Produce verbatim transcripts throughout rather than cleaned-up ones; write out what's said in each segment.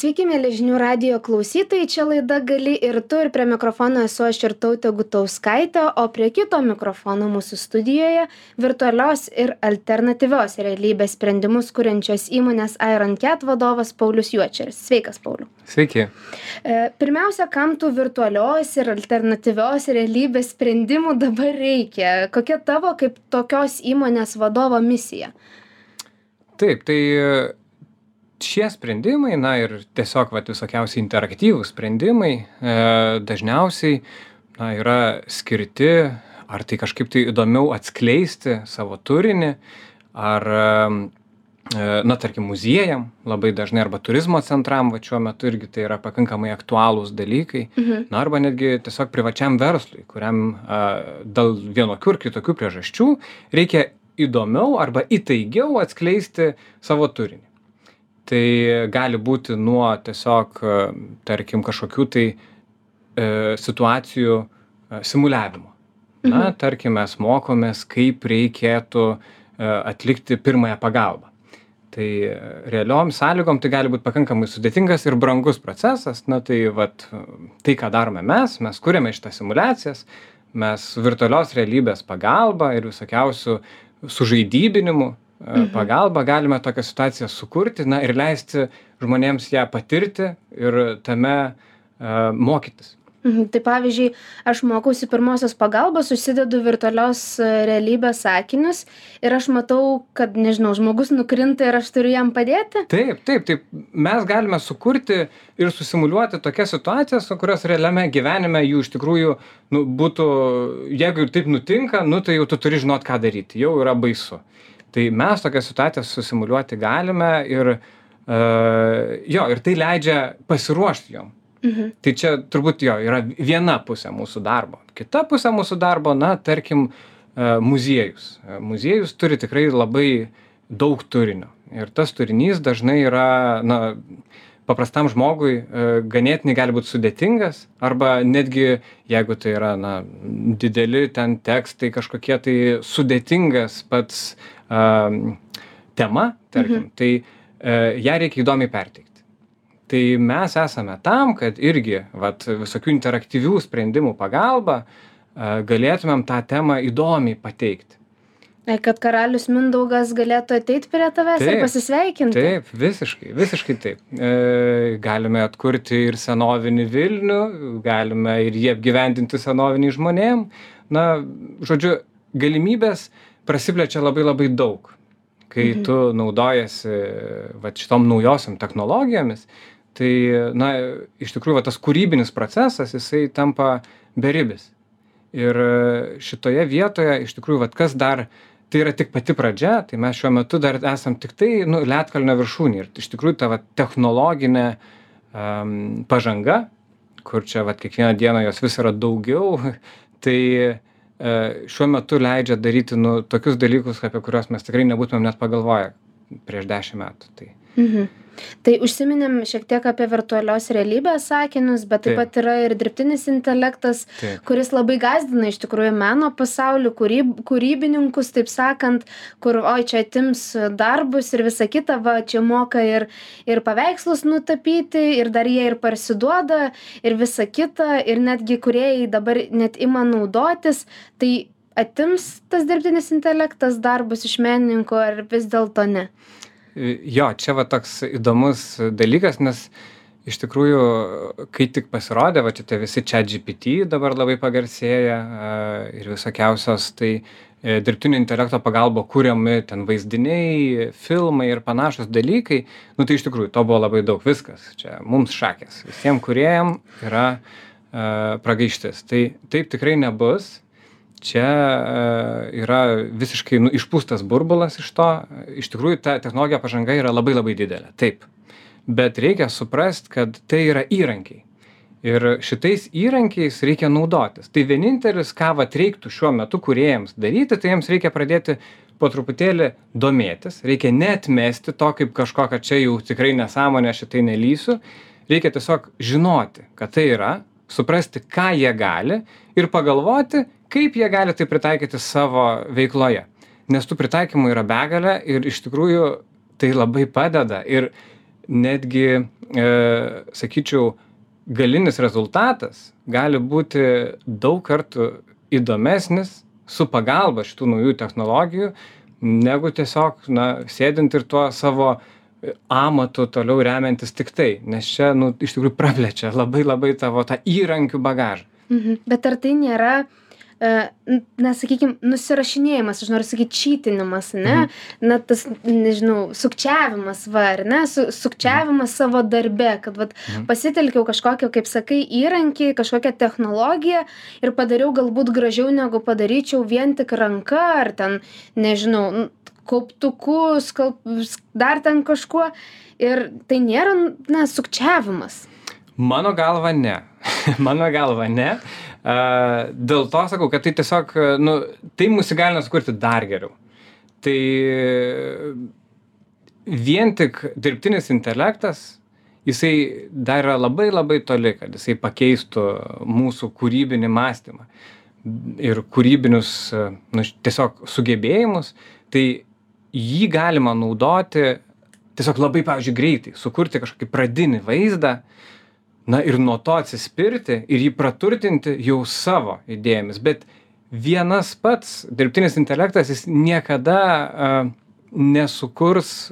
Sveiki, mėly žinių radijo klausytojai, čia laida Gali ir tu, ir prie mikrofono esu aš Irtautė Gutauskaitė, o prie kito mikrofono mūsų studijoje virtualios ir alternatyvios realybės sprendimus kuriančios įmonės IronCat vadovas Paulius Juočeris. Sveikas, Pauliau. Sveiki. Pirmiausia, kam tų virtualios ir alternatyvios realybės sprendimų dabar reikia? Kokia tavo kaip tokios įmonės vadovo misija? Taip, tai šie sprendimai, na ir tiesiog vat, visokiausiai interaktyvūs sprendimai e, dažniausiai na, yra skirti ar tai kažkaip tai įdomiau atskleisti savo turinį, ar, e, na tarkim, muziejam labai dažnai, arba turizmo centram, va šiuo metu irgi tai yra pakankamai aktualūs dalykai, mhm. na arba netgi tiesiog privačiam verslui, kuriam e, dėl vienokių ir kitokių priežasčių reikia įdomiau arba įtaigiau atskleisti savo turinį. Tai gali būti nuo tiesiog, tarkim, kažkokių tai e, situacijų e, simuliavimo. Na, mhm. tarkim, mes mokomės, kaip reikėtų e, atlikti pirmąją pagalbą. Tai realiom sąlygom tai gali būti pakankamai sudėtingas ir brangus procesas. Na, tai vat, tai, ką darome mes, mes kuriame šitas simuliacijas, mes virtualios realybės pagalba ir visokiausių sužaidybinimu mhm. pagalba galime tokią situaciją sukurti, na ir leisti žmonėms ją patirti ir tame uh, mokytis. Mhm. Tai pavyzdžiui, aš mokausi pirmosios pagalbos, susidedu virtualios realybės sakinius ir aš matau, kad, nežinau, žmogus nukrinta ir aš turiu jam padėti? Taip, taip, taip. Mes galime sukurti ir susimuliuoti tokias situacijas, kurios realiame gyvenime jų iš tikrųjų nu, būtų, jeigu taip nutinka, nu, tai jau tu turi žinot, ką daryti, jau yra baisu. Tai mes tokias situacijas susimuliuoti galime ir, uh, jo, ir tai leidžia pasiruošti jom. Mhm. Tai čia turbūt jo yra viena pusė mūsų darbo. Kita pusė mūsų darbo, na, tarkim, muziejus. Muziejus turi tikrai labai daug turinio. Ir tas turinys dažnai yra, na, paprastam žmogui ganėtinai gali būti sudėtingas, arba netgi, jeigu tai yra, na, dideli ten tekstai, kažkokie tai sudėtingas pats uh, tema, tarkim, mhm. tai uh, ją reikia įdomiai perteikti. Tai mes esame tam, kad irgi vat, visokių interaktyvių sprendimų pagalba uh, galėtumėm tą temą įdomiai pateikti. Kad karalius Mindaugas galėtų ateiti prie tavęs taip, ir pasisveikinti. Taip, visiškai, visiškai taip. E, galime atkurti ir senovinį Vilnių, galime ir jį apgyvendinti senovinį žmonėm. Na, žodžiu, galimybės prasiplečia labai labai daug. Kai mhm. tu naudojasi vat, šitom naujosiam technologijomis, tai, na, iš tikrųjų, va, tas kūrybinis procesas, jisai tampa beribis. Ir šitoje vietoje, iš tikrųjų, va, kas dar, tai yra tik pati pradžia, tai mes šiuo metu dar esam tik tai, nu, ledkalnio viršūnė. Ir iš tikrųjų, ta va, technologinė um, pažanga, kur čia, va, kiekvieną dieną jos vis yra daugiau, tai uh, šiuo metu leidžia daryti, nu, tokius dalykus, apie kuriuos mes tikrai nebūtumėm net pagalvoję prieš dešimt metų. Tai. Mhm. Tai užsiminėm šiek tiek apie virtualios realybės sakinius, bet taip, taip pat yra ir dirbtinis intelektas, taip. Kuris labai gąsdina iš tikrųjų meno pasaulį, kūryb, kūrybininkus, taip sakant, kur, oi, čia atims darbus ir visa kita, va, čia moka ir, ir paveikslus nutapyti, ir dar jie ir parsiduoda, ir visa kita, ir netgi kūrėjai dabar net ima naudotis, tai atims tas dirbtinis intelektas darbus iš menininko, ar vis dėlto ne? Jo, čia va toks įdomus dalykas, nes iš tikrųjų, kai tik pasirodė, va čia tie visi ChatGPT dabar labai pagarsėja ir visokiausios, tai dirbtinio intelekto pagalba kūriami ten vaizdiniai, filmai ir panašus dalykai, nu tai iš tikrųjų to buvo labai daug, viskas, čia mums šakės, visiems kūrėjam yra uh, pragaištis. Tai taip tikrai nebus. Čia uh, yra visiškai nu, išpūstas burbulas iš to. Iš tikrųjų, ta technologija pažanga yra labai labai didelė. Taip. Bet reikia suprast, kad tai yra įrankiai. Ir šitais įrankiais reikia naudotis. Tai vienintelis, ką vat reiktų šiuo metu kūrėjams daryti, tai jiems reikia pradėti po truputėlį domėtis. Reikia neatmesti to kaip kažko, kad čia jau tikrai nesąmonė, šitai nelysiu. Reikia tiesiog žinoti, kad tai yra, suprasti, ką jie gali ir pagalvoti, kaip jie gali tai pritaikyti savo veikloje. Nes tų pritaikymų yra begalė ir iš tikrųjų tai labai padeda. Ir netgi, e, sakyčiau, galinis rezultatas gali būti daug kartų įdomesnis su pagalba šitų naujų technologijų, negu tiesiog, na, sėdint ir tuo savo amatu toliau remiantis tik tai, nes čia, nu, iš tikrųjų praplečia labai labai tavo tą įrankių bagažą. Mhm. Bet ar tai nėra, na, sakykime, nusirašinėjimas, aš noriu sakyti, čytinimas, ne? Mhm. Na, tas, nežinau, sukčiavimas, va, ar ne? Su, sukčiavimas mhm. savo darbe, kad, vat, mhm. pasitelkiau kažkokią, kaip sakai, įrankį, kažkokią technologiją ir padariau galbūt gražiau, negu padaryčiau vien tik ranka, ar ten, nežinau, kauptuku, skalp, dar ten kažkuo. Ir tai nėra, na, sukčiavimas. Mano galva ne. Mano galva ne. Uh, dėl to sakau, kad tai tiesiog, nu, tai mus įgalina sukurti dar geriau. Tai vien tik dirbtinis intelektas, jisai dar yra labai labai toli, kad jisai pakeistų mūsų kūrybinį mąstymą ir kūrybinius, nu, tiesiog sugebėjimus. Tai jį galima naudoti tiesiog labai, pavyzdžiui, greitai, sukurti kažkokį pradinį vaizdą, na ir nuo to atsispirti ir jį praturtinti jau savo idėjomis. Bet vienas pats dirbtinis intelektas, jis niekada uh, nesukurs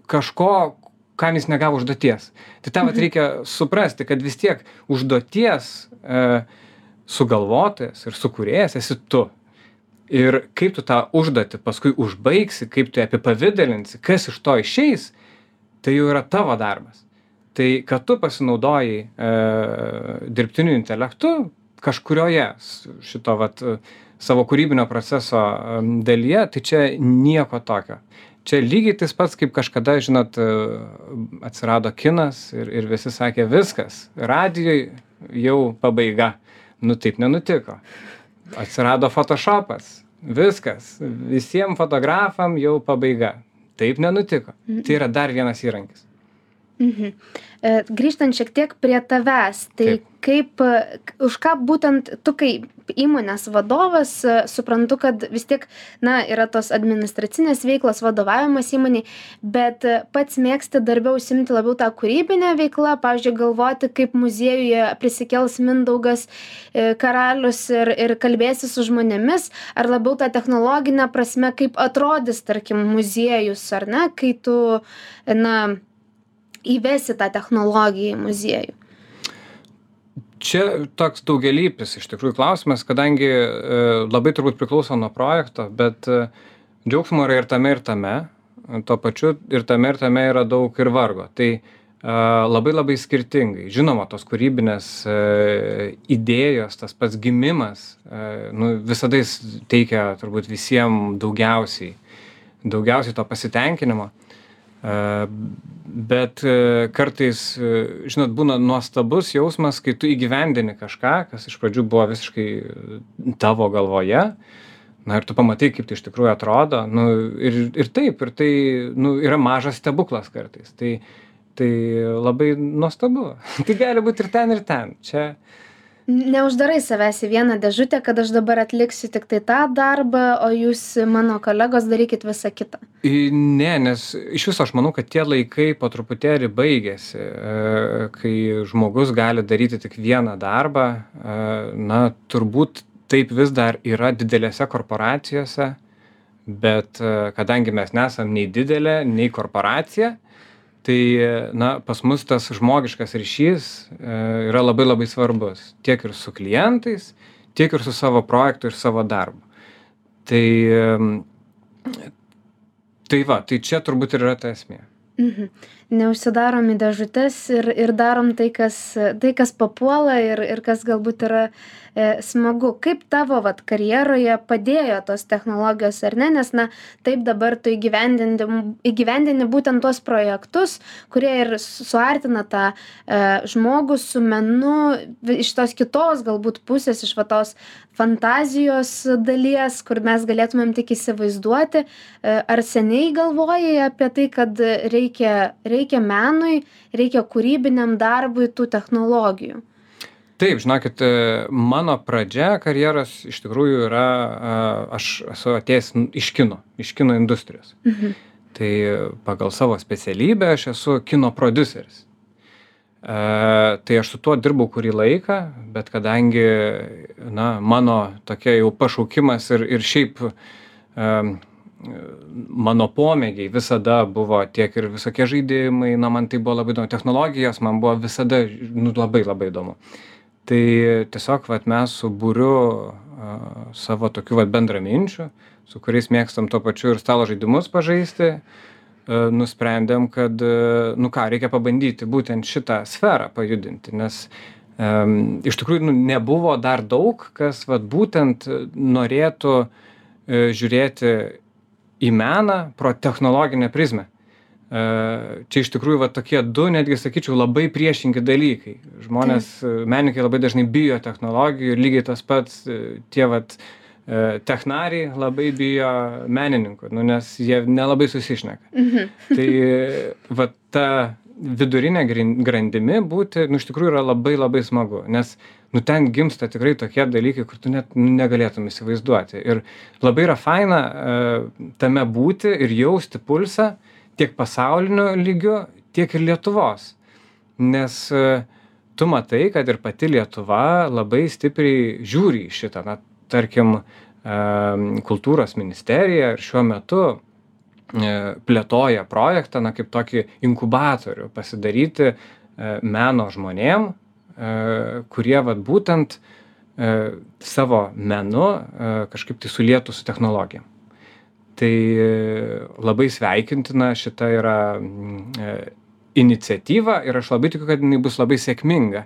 kažko, kam jis negavo užduoties. Tai tam mhm. reikia suprasti, kad vis tiek užduoties uh, sugalvotojas ir sukūrėjas esi tu. Ir kaip tu tą užduotį paskui užbaigsi, kaip tu apipavidalinsi, kas iš to išeis, tai jau yra tavo darbas. Tai, kad tu pasinaudoji e, dirbtiniu intelektu kažkurioje šito vat, savo kūrybinio proceso e, dalyje, tai čia nieko tokio. Čia lygiai tas pats, kaip kažkada, žinot, atsirado kinas ir, ir visi sakė, viskas, radijoj jau pabaiga. Nu taip nenutiko. Atsirado Photoshopas, viskas, visiems fotografam jau pabaiga. Taip nenutiko. Tai yra dar vienas įrankis. Mhm. E, grįžtant šiek tiek prie tavęs, tai Taip. kaip, už ką būtent tu kaip įmonės vadovas, suprantu, kad vis tiek, na, yra tos administracinės veiklos, vadovavimas įmoniai, bet pats mėgsti darbe užsimti labiau tą kūrybinę veiklą, pavyzdžiui, galvoti, kaip muziejuje prisikels Mindaugas e, karalius ir, ir kalbėsi su žmonėmis, ar labiau tą technologinę prasme, kaip atrodys, tarkim, muziejus, ar ne, kai tu, na, įvesi tą technologiją į muziejų? Čia toks daugelypis iš tikrųjų klausimas, kadangi e, labai turbūt priklauso nuo projekto, bet e, džiaugsmo yra ir tame, ir tame. Tuo pačiu ir tame, ir tame yra daug ir vargo. Tai e, labai labai skirtingai. Žinoma, tos kūrybinės e, idėjos, tas pats gimimas, e, nu, visada jis teikia turbūt visiems daugiausiai, daugiausiai to pasitenkinimo. Bet kartais, žinot, būna nuostabus jausmas, kai tu įgyvendini kažką, kas iš pradžių buvo visiškai tavo galvoje, na ir tu pamatai, kaip tai iš tikrųjų atrodo, nu, ir, ir taip, ir tai, nu, yra mažas stebuklas kartais, tai, tai labai nuostabu. Tai gali būti ir ten, ir ten. Čia neuždarai savęs į vieną dėžutę, kad aš dabar atliksiu tik tai tą darbą, o jūs, mano kolegos, darykit visą kitą. Ne, nes iš viso aš manau, kad tie laikai po truputėlį baigėsi, kai žmogus gali daryti tik vieną darbą. Na, turbūt taip vis dar yra didelėse korporacijose, bet kadangi mes nesam nei didelė, nei korporacija, tai, na, pas mus tas žmogiškas ryšys e, yra labai labai svarbus. Tiek ir su klientais, tiek ir su savo projektu ir savo darbu. Tai, e, tai va, tai čia turbūt ir yra ta esmė. Mhm. Neužsidarom į dėžutes ir, ir darom tai, kas, tai, kas papuola ir, ir kas galbūt yra e, smagu. Kaip tavo vat, karjeroje padėjo tos technologijos ar ne? Nes, na, taip dabar tu įgyvendini, įgyvendini būtent tuos projektus, kurie ir suartina tą e, žmogų su menu iš tos kitos galbūt pusės, iš va tos fantazijos dalies, kur mes galėtumėm tik įsivaizduoti. E, ar seniai galvojai apie tai, kad reikia, reikia menui, reikia kūrybiniam darbui tų technologijų? Taip, žinokit, mano pradžia karjeros iš tikrųjų yra, aš esu atėjęs iš kino, iš kino industrijos. Mhm. Tai pagal savo specialybę aš esu kino prodiuseris. E, tai aš su tuo dirbau kurį laiką, bet kadangi, na, mano tokia jau pašaukimas ir, ir šiaip e, mano pomėgiai visada buvo tiek ir visokie žaidimai, na, man tai buvo labai įdomu, technologijos man buvo visada, nu, labai labai įdomu. Tai tiesiog, vat, mes su būriu a, savo tokių, vat, bendraminčių, su kuriais mėgstam tuo pačiu ir stalo žaidimus pažaisti, a, nusprendėm, kad, a, nu ką, reikia pabandyti būtent šitą sferą pajudinti, nes a, iš tikrųjų, nu, nebuvo dar daug, kas, vat, būtent norėtų a, žiūrėti į meną pro technologinę prizmę. Čia iš tikrųjų va tokie du, netgi sakyčiau, labai priešingi dalykai. Žmonės, menininkai labai dažnai bijo technologijų ir lygiai tas pats tie vat technariai labai bijo menininkų, nu, nes jie nelabai susišneka. Mhm. Tai va ta vidurinė grandimi būti, nu, iš tikrųjų yra labai labai smagu, nes nu, ten gimsta tikrai tokie dalykai, kur tu net negalėtum įsivaizduoti. Ir labai yra faina tame būti ir jausti pulsą, tiek pasauliniu lygiu, tiek ir Lietuvos. Nes tu matai, kad ir pati Lietuva labai stipriai žiūri į šitą. Na, tarkim, kultūros ministerija ir šiuo metu plėtoja projektą, na, kaip tokį inkubatorių pasidaryti meno žmonėm, kurie vat, būtent savo menu kažkaip tai sulietų su technologijom. Tai labai sveikintina šita yra iniciatyva ir aš labai tikiu, kad jinai bus labai sėkminga,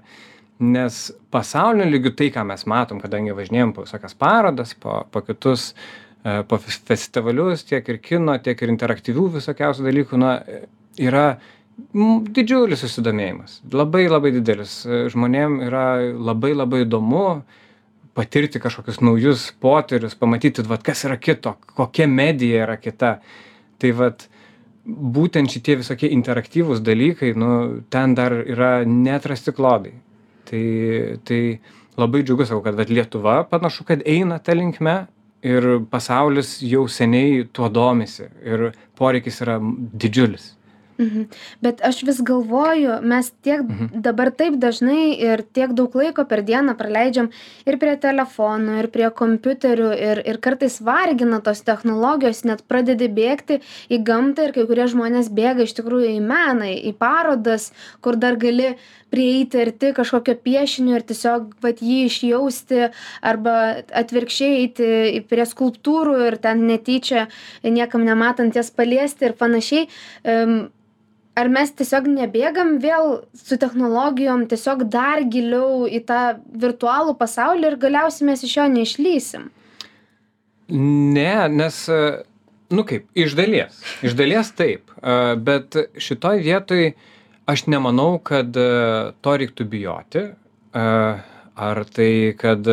nes pasauliniu lygiu tai, ką mes matom, kadangi važinėjom po visokias parodas, po, po kitus, po festivalius, tiek ir kino, tiek ir interaktyvių visokiausių dalykų, na, yra didžiulis susidomėjimas, labai labai didelis. Žmonėm yra labai labai įdomu patirti kažkokius naujus potyrius, pamatyti, vat, kas yra kito, kokia medija yra kita. Tai vat, būtent šitie visokie interaktyvūs dalykai, nu, ten dar yra neatrasti klodai. Tai, tai labai džiugu, sakau, kad vat, Lietuva panašu, kad eina ta linkme ir pasaulis jau seniai tuo domisi ir poreikis yra didžiulis. Mhm. Bet aš vis galvoju, mes tiek mhm. dabar taip dažnai ir tiek daug laiko per dieną praleidžiam ir prie telefonų, ir prie kompiuterių, ir, ir kartais vargina tos technologijos, net pradedi bėgti į gamtą ir kai kurie žmonės bėga iš tikrųjų į meną, į parodas, kur dar gali prieiti arti kažkokio piešinio ir tiesiog vat, jį išjausti arba atvirkščiai eiti prie skulptūrų ir ten netyčia niekam nematant jas paliesti ir panašiai. Um, Ar mes tiesiog nebėgam vėl su technologijom tiesiog dar giliau į tą virtualų pasaulį ir galiausiai mes iš jo neišlysim? Ne, nes, nu kaip, iš dalies. Iš dalies taip. Bet šitoj vietoj aš nemanau, kad to reiktų bijoti. Ar tai, kad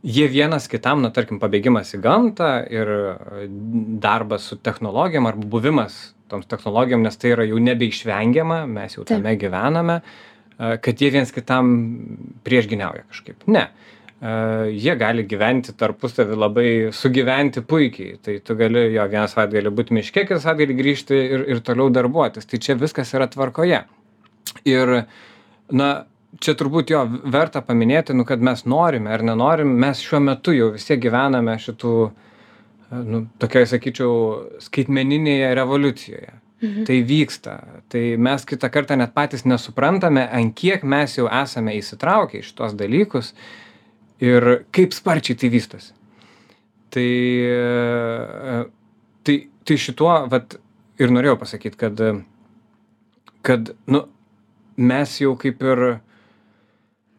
jie vienas kitam, na, tarkim, pabėgimas į gamtą ir darbas su technologijom arba buvimas toms technologijom, nes tai yra jau nebeišvengiama, mes jau tame Taip. gyvename, kad jie vienas kitam priešginiauja kažkaip. Ne. Jie gali gyventi tarpusavį labai sugyventi puikiai. Tai tu gali, jo, vieną savaitgalį būti miške, kitą savaitgalį grįžti ir, ir toliau darbuotis. Tai čia viskas yra tvarkoje. Ir, na, čia turbūt jo verta paminėti, nu, kad mes norime ar nenorim, mes šiuo metu jau vis tiek gyvename šitų nu, tokiai, sakyčiau, skaitmeninėje revoliucijoje. Mhm. Tai vyksta. Tai mes kitą kartą net patys nesuprantame, ant kiek mes jau esame įsitraukę į šitos dalykus ir kaip sparčiai tai vystosi. Tai, tai, tai šituo, vat, ir norėjau pasakyti, kad, kad, nu, mes jau kaip ir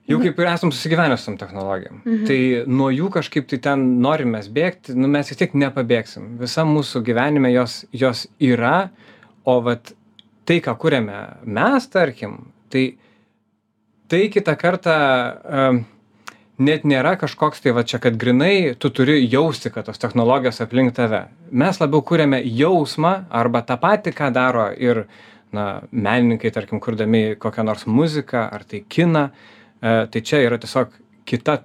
Jau kaip ir esam susigyvenę su tom technologijom. Mhm. Tai nuo jų kažkaip tai ten norim mes bėgti, nu mes vis tiek nepabėgsim. Visa mūsų gyvenime jos, jos yra, o vat tai, ką kuriame mes, tarkim, tai, tai kitą kartą um, net nėra kažkoks tai va čia, kad grinai tu turi jausti, kad tos technologijos aplink tave. Mes labiau kuriame jausmą arba tą patį, ką daro ir na, menininkai, tarkim, kurdami kokią nors muziką ar tai kiną. Tai čia yra tiesiog kita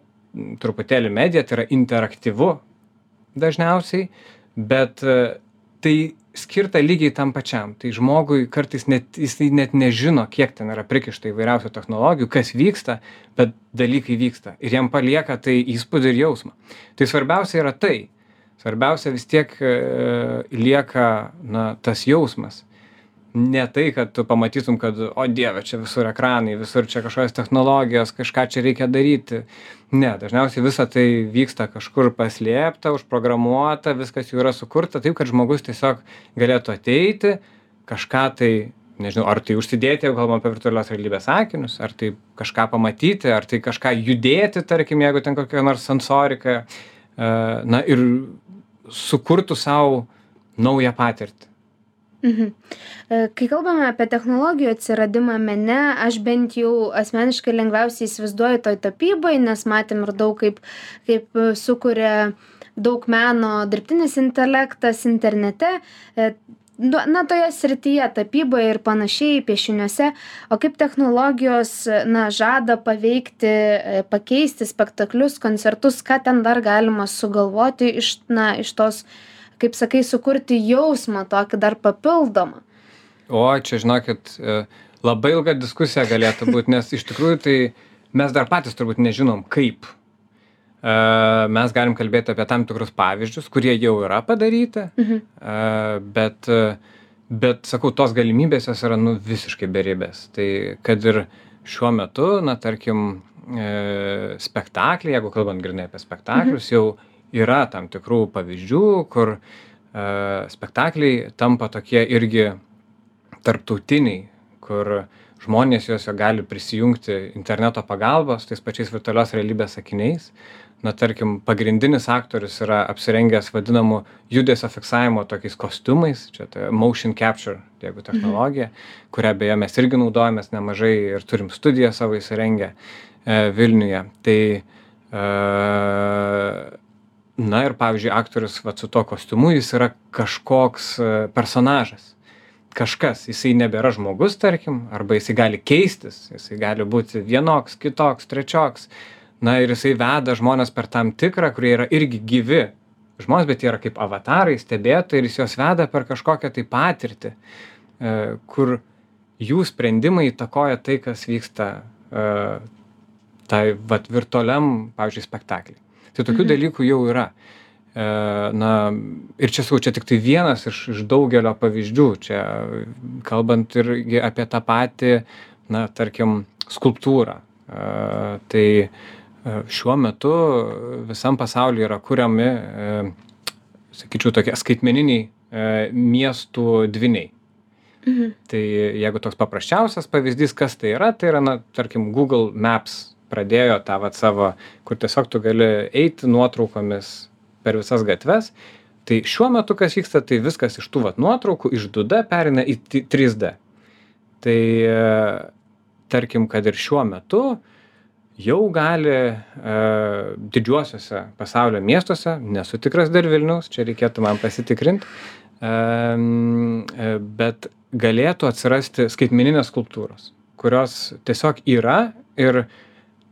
truputėlį medija, tai yra interaktyvu dažniausiai, bet tai skirta lygiai tam pačiam. Tai žmogui kartais net, jisai net nežino, kiek ten yra prikišta įvairiausių technologijų, kas vyksta, bet dalykai vyksta. Ir jam palieka tai įspūdį ir jausmą. Tai svarbiausia yra tai. Svarbiausia vis tiek e, lieka na, tas jausmas. Ne tai, kad tu pamatytum, kad, o dieve, čia visur ekranai, visur čia kažkokios technologijos, kažką čia reikia daryti. Ne, dažniausiai visa tai vyksta kažkur paslėpta, užprogramuota, viskas jau yra sukurta taip, kad žmogus tiesiog galėtų ateiti, kažką tai, nežinau, ar tai užsidėti, jeigu kalbam apie virtualios realybės akinius, ar tai kažką pamatyti, ar tai kažką judėti, tarkim, jeigu ten kokia nors sensorika, na ir sukurtų savo naują patirtį. Mhm. Kai kalbame apie technologijų atsiradimą mene, aš bent jau asmeniškai lengviausiai įsivaizduoju toj tapybai, nes matėm ir daug kaip, kaip sukuria daug meno dirbtinis intelektas internete, na, toje srityje tapyboje ir panašiai, piešiniuose, o kaip technologijos, na, žada paveikti, pakeisti spektaklius, koncertus, ką ten dar galima sugalvoti iš, na, iš tos, kaip sakai, sukurti jausmą tokį dar papildomą. O, čia žinokit, labai ilga diskusija galėtų būti, nes iš tikrųjų tai mes dar patys turbūt nežinom kaip. Mes galim kalbėti apie tam tikrus pavyzdžius, kurie jau yra padaryti, mhm. bet, bet, sakau, tos galimybės jos yra nu, visiškai beribės. Tai kad ir šiuo metu, na, tarkim, spektakliai, jeigu kalbant grynai apie spektaklius, mhm. jau yra tam tikrų pavyzdžių, kur uh, spektakliai tampa tokie irgi tarptautiniai, kur žmonės juos gali prisijungti interneto pagalbos, tais pačiais virtualios realybės akiniais. Na, tarkim, pagrindinis aktorius yra apsirengęs vadinamų judesio fiksavimo tokiais kostiumais, čia tai motion capture, jeigu technologija, mhm. kurią beje mes irgi naudojamės nemažai ir turim studiją savo įsirengę e, Vilniuje. Tai e, na ir, pavyzdžiui, aktorius vat, su to kostiumu, jis yra kažkoks personažas. Kažkas, jisai nebėra žmogus, tarkim, arba jisai gali keistis, jisai gali būti vienoks, kitoks, trečioks. Na ir jisai veda žmonės per tam tikrą, kurie yra irgi gyvi žmonės, bet jie yra kaip avatarai, stebėtojai ir jis juos veda per kažkokią tai patirtį, kur jų sprendimai įtakoja tai, kas vyksta tai vat, virtualiam, pavyzdžiui, spektakliui. Tai tokių mhm. dalykų jau yra. E, na, ir čia, sakau, čia tik tai vienas iš, iš daugelio pavyzdžių. Čia kalbant irgi apie tą patį, na, tarkim, skulptūrą. E, tai šiuo metu visam pasaulyje yra kuriami, e, sakyčiau, tokie skaitmeniniai e, miestų dvyniai. Mhm. Tai jeigu toks paprasčiausias pavyzdys, kas tai yra, tai yra, na, tarkim, Google Maps pradėjo tą vat savo, kur tiesiog tu gali eiti nuotraukomis per visas gatves. Tai šiuo metu, kas vyksta, tai viskas iš tų vat nuotraukų, iš du D perina į trys D. Tai tarkim, kad ir šiuo metu jau gali e, didžiuosiuose pasaulio miestuose, nesu tikras dar Vilniaus, čia reikėtų man pasitikrinti, e, bet galėtų atsirasti skaitmeninės skulptūros, kurios tiesiog yra ir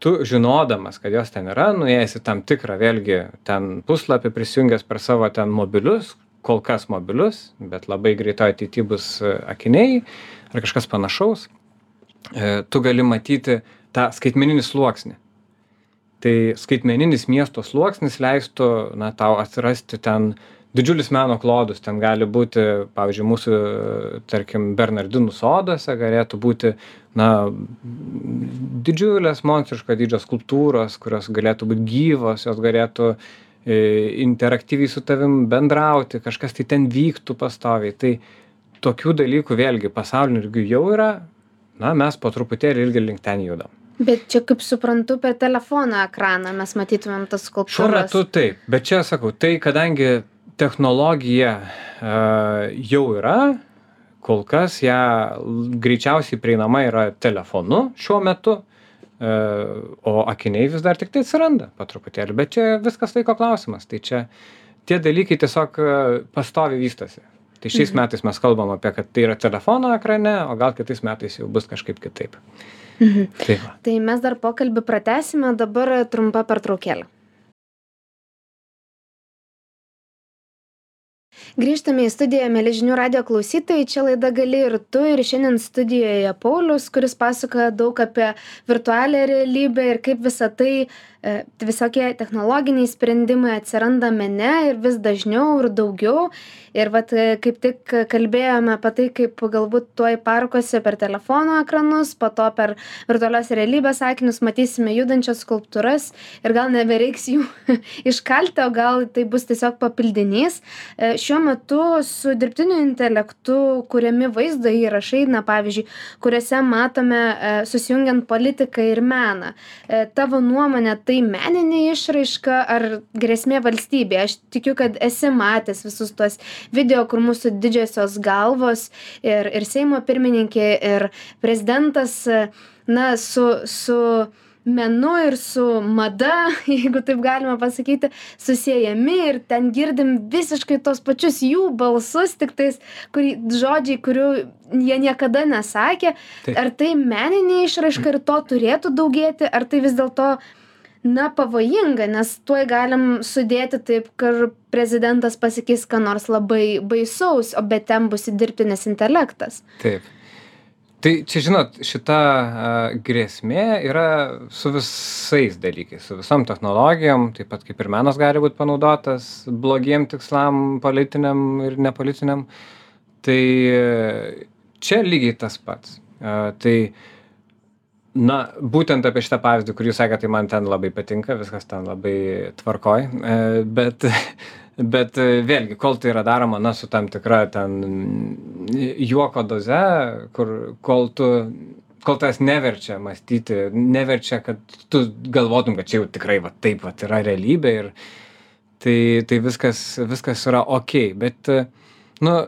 tu žinodamas, kad jos ten yra, nuėjęs į tam tikrą vėlgi ten puslapį prisijungęs per savo ten mobilius, kol kas mobilius, bet labai greitoje ateityje bus akiniai ar kažkas panašaus, tu gali matyti tą skaitmeninį sluoksnį. Tai skaitmeninis miesto sluoksnis leistų, na, tau atsirasti ten didžiulis meno klodus, ten gali būti, pavyzdžiui, mūsų, tarkim, Bernardinų soduose galėtų būti, na, didžiulės monstriško dydžio skulptūros, kurios galėtų būti gyvos, jos galėtų e, interaktyviai su tavim bendrauti, kažkas tai ten vyktų pastoviai. Tai tokių dalykų vėlgi pasaulinių lygių jau yra, na, mes po truputėlį irgi link ten judam. Bet čia, kaip suprantu, per telefono ekraną mes matytumėm tas skulptūras. Šiuo metu taip, bet čia sakau, tai kadangi technologija uh, jau yra, kol kas ją greičiausiai prieinama yra telefonu šiuo metu, uh, o akiniai vis dar tik tai atsiranda po truputėlį, bet čia viskas laiko klausimas, tai čia tie dalykai tiesiog pastoviai vystosi. Tai šiais mhm. metais mes kalbam apie, kad tai yra telefono ekrane, o gal kitais metais jau bus kažkaip kitaip. Mhm. Tai, tai mes dar pokalbį pratęsime, dabar trumpa pertraukėlė. Grįžtame į studiją, mėly žinių radijo klausytojai, čia laida Gali ir tu, ir šiandien studijoje Paulius, kuris pasakoja daug apie virtualią realybę ir kaip visa tai, e, visokie technologiniai sprendimai atsiranda mene ir vis dažniau ir daugiau. Ir vat kaip tik kalbėjome apie tai, kaip galbūt tuoj parkuose per telefono ekranus, po to per virtualios realybės akinius matysime judančias skulptūras ir gal nebereiks jų iškalti, o gal tai bus tiesiog papildinys. E, šiuo metu su dirbtiniu intelektu kuriami vaizdo įrašai, na pavyzdžiui, kuriuose matome e, susijungiant politiką ir meną. E, tavo nuomonė, tai meninė išraiška ar grėsmė valstybė? Aš tikiu, kad esi matęs visus tuos video, kur mūsų didžiosios galvos ir, ir Seimo pirmininkė ir prezidentas, na, su, su menu ir su mada, jeigu taip galima pasakyti, susiejami ir ten girdim visiškai tos pačius jų balsus, tik tais kurį, žodžiai, kurių jie niekada nesakė. Taip. Ar tai meninė išraiška ir to turėtų daugėti, ar tai vis dėlto na pavojinga, nes tuoj galim sudėti taip, kad prezidentas pasakys, ką nors labai baisaus, o bet ten bus dirbtinis intelektas. Taip. Tai čia, žinot, šita uh, grėsmė yra su visais dalykais, su visom technologijom, taip pat kaip ir menas gali būti panaudotas blogiem tikslam, politiniam ir nepolitiniam. Tai čia lygiai tas pats. Uh, tai Na, būtent apie šitą pavyzdį, kurį jūs sakėte, tai man ten labai patinka, viskas ten labai tvarkoj, bet, bet vėlgi, kol tai yra daroma, na, su tam tikra ten juoko doze, kur, kol tu, kol tas neverčia mąstyti, neverčia, kad tu galvotum, kad čia jau tikrai va taip va yra realybė ir tai, tai viskas, viskas yra okei, bet, nu,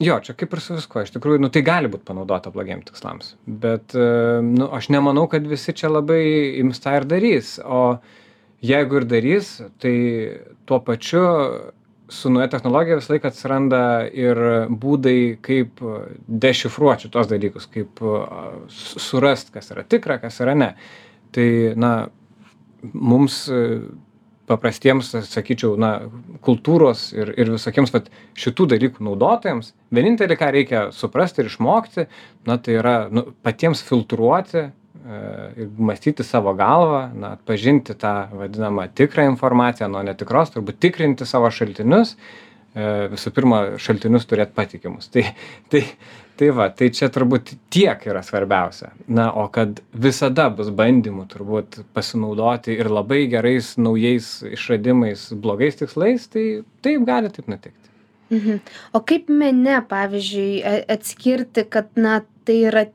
jo, čia kaip ir su viskuo, iš tikrųjų, nu, tai gali būti panaudota blogiem tikslams, bet, nu, aš nemanau, kad visi čia labai ims tą ir darys, o jeigu ir darys, tai tuo pačiu su nauja technologija visą laiką atsiranda ir būdai, kaip dešifruoti šitos dalykus, kaip surast, kas yra tikra, kas yra ne. Tai, na, mums paprastiems, sakyčiau, na, kultūros ir, ir visokiems vat, šitų dalykų naudotojams, vienintelį, ką reikia suprasti ir išmokti, na, tai yra nu, patiems filtruoti e, ir mąstyti savo galvą, na, atpažinti tą vadinamą tikrą informaciją nuo netikros, turbūt tikrinti savo šaltinius, e, visų pirma, šaltinius turėti patikimus. Tai, tai, tai va, tai čia turbūt tiek yra svarbiausia. Na, o kad visada bus bandymų turbūt pasinaudoti ir labai gerais naujais išradimais, blogais tikslais, tai taip gali taip nutikti. Mhm. O kaip mene, pavyzdžiui, atskirti, kad, na, tai yra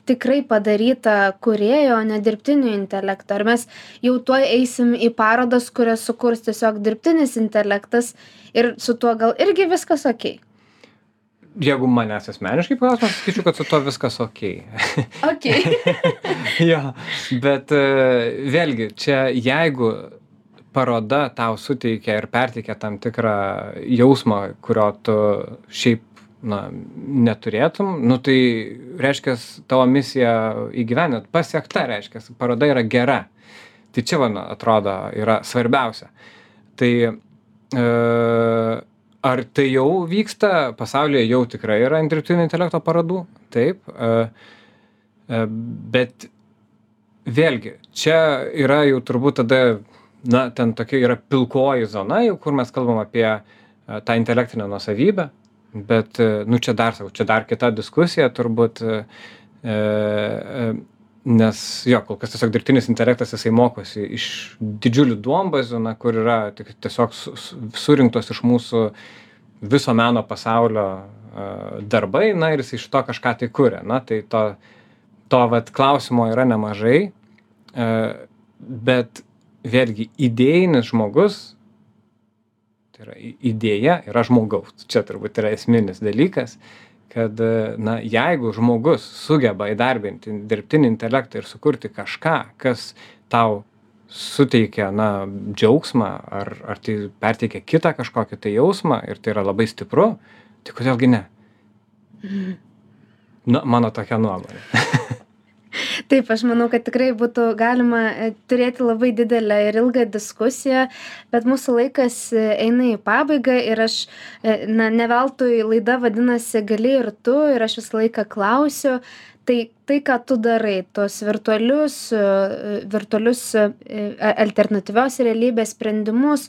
tikrai padaryta kūrėjo, o ne dirbtinio intelekto? Ar mes jau tuoj eisim į parodas, kurias sukurs tiesiog dirbtinis intelektas ir su tuo gal irgi viskas okei? Jeigu manęs asmeniškai klausimas, sakyčiau, kad su to viskas okei. Okei. Jo, bet vėlgi, čia jeigu paroda tau suteikia ir perteikia tam tikrą jausmą, kurio tu šiaip, na, neturėtum, nu tai reiškia, tavo misija įgyvendinta, pasiekta, reiškia, paroda yra gera. Tai čia, man atrodo, yra svarbiausia. Tai e, ar tai jau vyksta, pasaulyje jau tikrai yra dirbtinio intelekto parodų, taip, e, e, bet vėlgi, čia yra jau turbūt tada, na, ten tokia yra pilkoji zona, jau kur mes kalbam apie e, tą intelektinę nuosavybę, bet, nu, čia dar, sakau, čia dar kita diskusija turbūt, e, e, nes, jo, kol kas tiesiog dirbtinis intelektas, jisai mokosi iš didžiulių duombazių, na, kur yra tik, tiesiog su, surinktos iš mūsų viso meno pasaulio uh, darbai, na, ir jisai iš to kažką tai kuria. Na, tai to, to vat, klausimo yra nemažai, uh, bet vėlgi idėjinis žmogus, tai yra idėja, yra žmogaus. Čia turbūt yra esminis dalykas, kad, na, jeigu žmogus sugeba įdarbinti dirbtinį intelektą ir sukurti kažką, kas tau suteikia, na, džiaugsmą, ar, ar tai perteikia kitą kažkokį tai jausmą ir tai yra labai stipru, tai kodėlgi ne? Na, mano tokia nuomonė. Taip, aš manau, kad tikrai būtų galima turėti labai didelę ir ilgą diskusiją, bet mūsų laikas eina į pabaigą ir aš, na, ne veltui laida vadinasi Gali ir tu, ir aš visą laiką klausiu, tai tai, ką tu darai, tos virtualius, virtualius alternatyvios realybės sprendimus,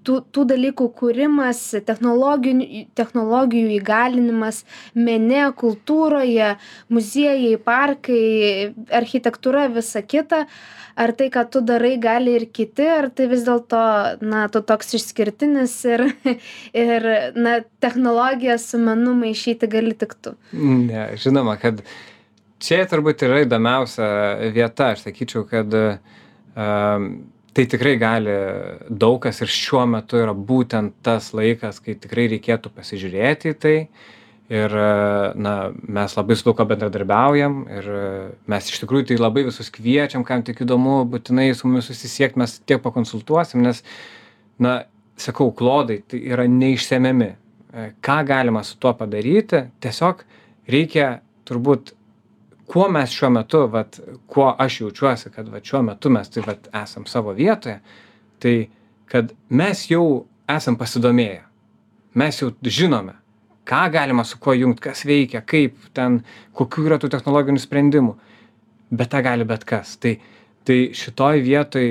tų, tų dalykų kūrimas, technologijų, technologijų įgalinimas mene, kultūroje, muziejai, parkai, architektūra, visa kita. Ar tai, ką tu darai, gali ir kiti, ar tai vis dėlto, na, tu toks išskirtinis ir, ir na, technologiją su menu maišyti gali tik tu? Ne, žinoma, kad čia turbūt yra įdomiausia vieta. Aš sakyčiau, kad um, tai tikrai gali daug kas ir šiuo metu yra būtent tas laikas, kai tikrai reikėtų pasižiūrėti į tai. Ir, na, mes labai su daug ko bendradarbiaujam ir mes iš tikrųjų tai labai visus kviečiam, kam tik įdomu, būtinai su mumis susisiekt, mes tiek pakonsultuosim, nes, na, sakau, klodai tai yra neišsemiami. Ką galima su tuo padaryti, tiesiog reikia turbūt, kuo mes šiuo metu, vat, kuo aš jaučiuosi, kad vat, šiuo metu mes tai vat, esam savo vietoje, tai kad mes jau esam pasidomėję, mes jau žinome, ką galima su kuo jungti, kas veikia, kaip ten, kokių yra tų technologinių sprendimų, bet tą gali bet kas. Tai, tai šitoj vietoj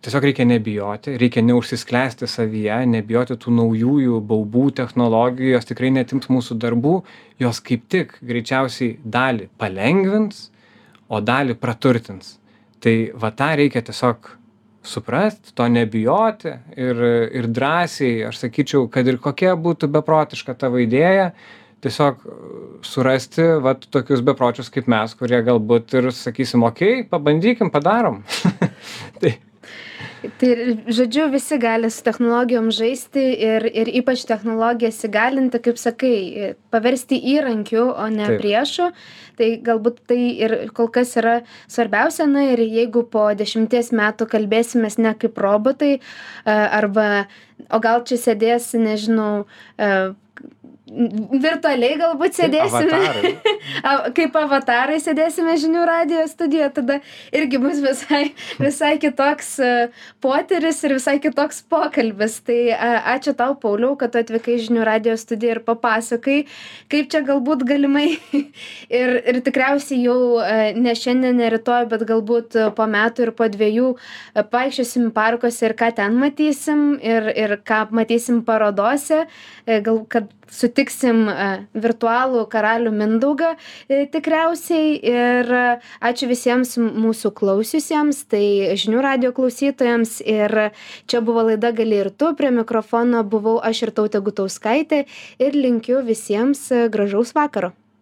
tiesiog reikia nebijoti, reikia neužsisklęsti savyje, nebijoti tų naujųjų baubų technologijų, jos tikrai netims mūsų darbų, jos kaip tik greičiausiai dalį palengvins, o dalį praturtins. Tai va tą reikia tiesiog suprasti, to nebijoti ir, ir drąsiai, aš sakyčiau, kad ir kokia būtų beprotiška tavo idėja, tiesiog surasti vat tokius bepročius kaip mes, kurie galbūt ir sakysim, okei, pabandykim, padarom. Tai Tai, žodžiu, visi gali su technologijom žaisti ir, ir ypač technologijas įgalinti, kaip sakai, paversti įrankiu, o ne Taip. Priešu. Tai galbūt tai ir kol kas yra svarbiausia, na ir jeigu po dešimties metų kalbėsimės ne kaip robotai, arba, o gal čia sėdės, nežinau, virtualiai galbūt sėdėsime, avatarai. Kaip avatarai sėdėsime žinių radijo studijoje, tada irgi bus visai, visai kitoks potyris ir visai kitoks pokalbis. Tai ačiū tau, Pauliau, kad tu atvykai žinių radijo studiją ir papasakai, kaip čia galbūt galimai ir, ir tikriausiai jau ne šiandien, ne rytoj, bet galbūt po metų ir po dviejų paikščiosim parkuose ir ką ten matysim ir, ir ką matysim parodose, gal kad sutiksim virtualų karalių Mindaugą tikriausiai ir ačiū visiems mūsų klausiusiems, tai žinių radijo klausytojams ir čia buvo laida Gali ir tu, prie mikrofono buvau aš Irtautė Gutauskaitė ir linkiu visiems gražaus vakaro.